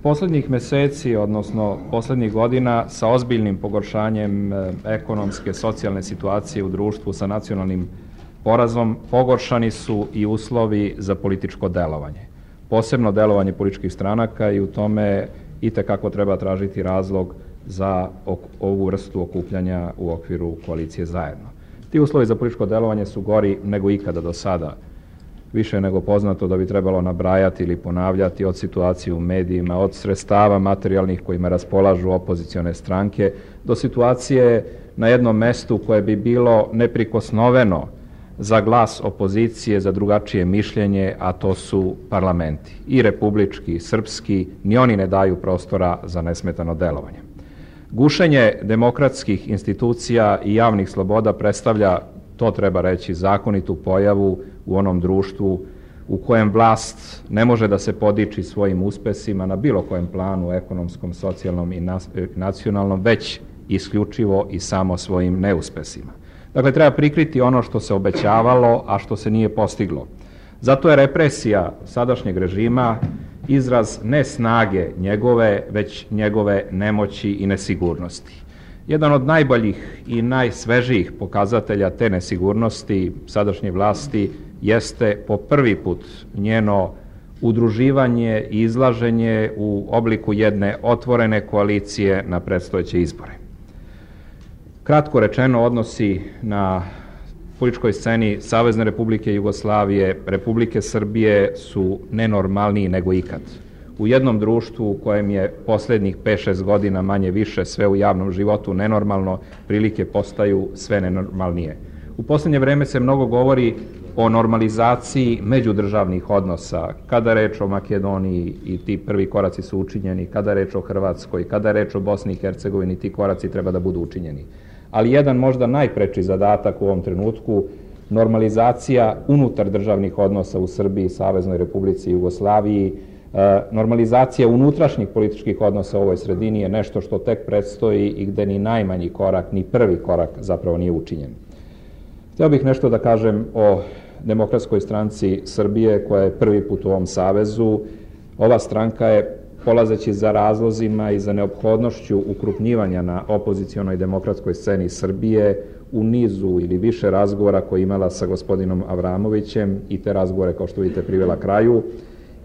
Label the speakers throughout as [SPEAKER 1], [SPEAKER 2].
[SPEAKER 1] Posljednjih meseci, odnosno posljednjih godina, sa ozbiljnim pogoršanjem ekonomske, socijalne situacije u društvu sa nacionalnim porazom, pogoršani su i uslovi za političko delovanje. Posebno delovanje političkih stranaka i u tome itekako treba tražiti razlog za ovu vrstu okupljanja u okviru koalicije Zajedno. Ti uslovi za političko delovanje su gori nego ikada do sada. Više je nego poznato da bi trebalo nabrajati ili ponavljati od situacije u medijima, od sredstava materijalnih kojima raspolažu opozicione stranke, do situacije na jednom mestu koje bi bilo neprikosnoveno za glas opozicije, za drugačije mišljenje, a to su parlamenti. I republički, i srpski, ni oni ne daju prostora za nesmetano delovanje. Gušenje demokratskih institucija i javnih sloboda predstavlja, to treba reći, zakonitu pojavu u onom društvu u kojem vlast ne može da se podiči svojim uspesima na bilo kojem planu, ekonomskom, socijalnom i nacionalnom, već isključivo i samo svojim neuspesima. Dakle, treba prikriti ono što se obećavalo, a što se nije postiglo. Zato je represija sadašnjeg režima izraz ne snage njegove, već njegove nemoći i nesigurnosti. Jedan od najboljih i najsvežijih pokazatelja te nesigurnosti sadašnje vlasti jeste po prvi put njeno udruživanje i izlaženje u obliku jedne otvorene koalicije na predstojeće izbore. Kratko rečeno, odnosi na političkoj sceni Savezne Republike Jugoslavije, Republike Srbije su nenormalniji nego ikad. U jednom društvu u kojem je posljednjih 5-6 godina manje više sve u javnom životu nenormalno, prilike postaju sve nenormalnije. U posljednje vreme se mnogo govori o normalizaciji međudržavnih odnosa, kada je reč o Makedoniji i ti prvi koraci su učinjeni, kada je reč o Hrvatskoj, kada je reč o Bosni i Hercegovini, ti koraci treba da budu učinjeni. Ali jedan možda najpreči zadatak u ovom trenutku, normalizacija unutar državnih odnosa u Srbiji, Saveznoj Republici Jugoslaviji, normalizacija unutrašnjih političkih odnosa u ovoj sredini je nešto što tek predstoji i gde ni najmanji korak, ni prvi korak zapravo nije učinjen. Htio bih nešto da kažem o Demokratskoj stranci Srbije koja je prvi put u ovom savezu. Ova stranka je, polazeći za razlozima i za neophodnošću ukrupnjivanja na opozicionoj demokratskoj sceni Srbije, u nizu ili više razgovora koje imala sa gospodinom Avramovićem i te razgovore, kao što vidite, privela kraju,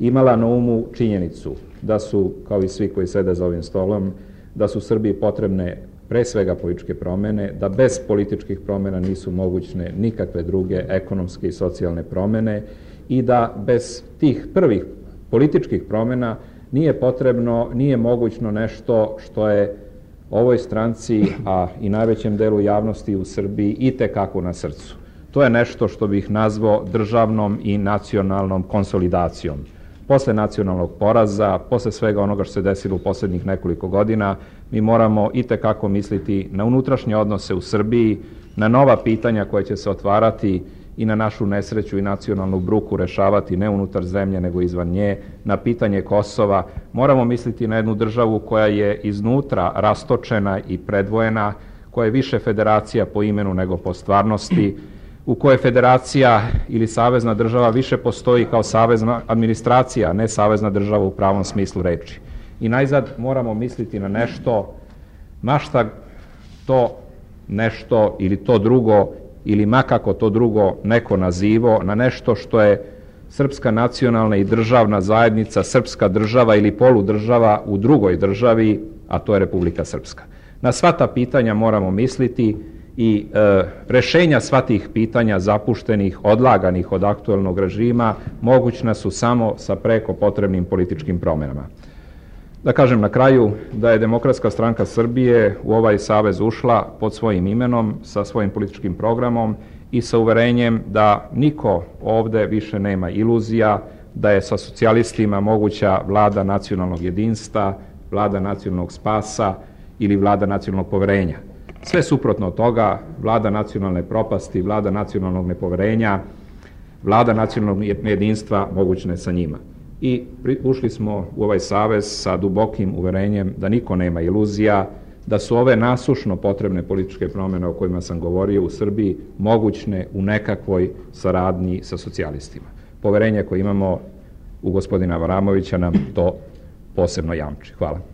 [SPEAKER 1] imala na umu činjenicu da su, kao i svi koji sede za ovim stolom, da su Srbiji potrebne pre svega političke promene, da bez političkih promena nisu mogućne nikakve druge ekonomske i socijalne promene i da bez tih prvih političkih promena nije mogućno nešto što je ovoj stranci, a i najvećem delu javnosti u Srbiji itekako na srcu. To je nešto što bih nazvao državnom i nacionalnom konsolidacijom. Posle nacionalnog poraza, posle svega onoga što se desilo u posljednjih nekoliko godina, mi moramo itekako misliti na unutrašnje odnose u Srbiji, na nova pitanja koje će se otvarati i na našu nesreću i nacionalnu bruku rešavati ne unutar zemlje nego izvan nje, na pitanje Kosova. Moramo misliti na jednu državu koja je iznutra rastočena i predvojena, koja je više federacija po imenu nego po stvarnosti, u kojoj federacija ili savezna država više postoji kao savezna administracija, ne savezna država u pravom smislu reči. I najzad moramo misliti na nešto, ma šta to nešto ili to drugo, ili makako to drugo neko nazivo, na nešto što je srpska nacionalna i državna zajednica, srpska država ili poludržava u drugoj državi, a to je Republika Srpska. Na sva ta pitanja moramo misliti i rešenja sva tih pitanja zapuštenih, odlaganih od aktuelnog režima mogućna su samo sa preko potrebnim političkim promenama. Da kažem na kraju da je Demokratska stranka Srbije u ovaj savez ušla pod svojim imenom, sa svojim političkim programom i sa uverenjem da niko ovde više nema iluzija, da je sa socijalistima moguća vlada nacionalnog jedinstva, vlada nacionalnog spasa ili vlada nacionalnog poverenja. Sve suprotno od toga, vlada nacionalne propasti, vlada nacionalnog nepoverenja, vlada nacionalnog jedinstva mogućna je sa njima. I ušli smo u ovaj savez sa dubokim uverenjem da niko nema iluzija, da su ove nasušno potrebne političke promjene o kojima sam govorio u Srbiji mogućne u nekakvoj saradnji sa socijalistima. Poverenje koje imamo u gospodina Avramovića nam to posebno jamči. Hvala.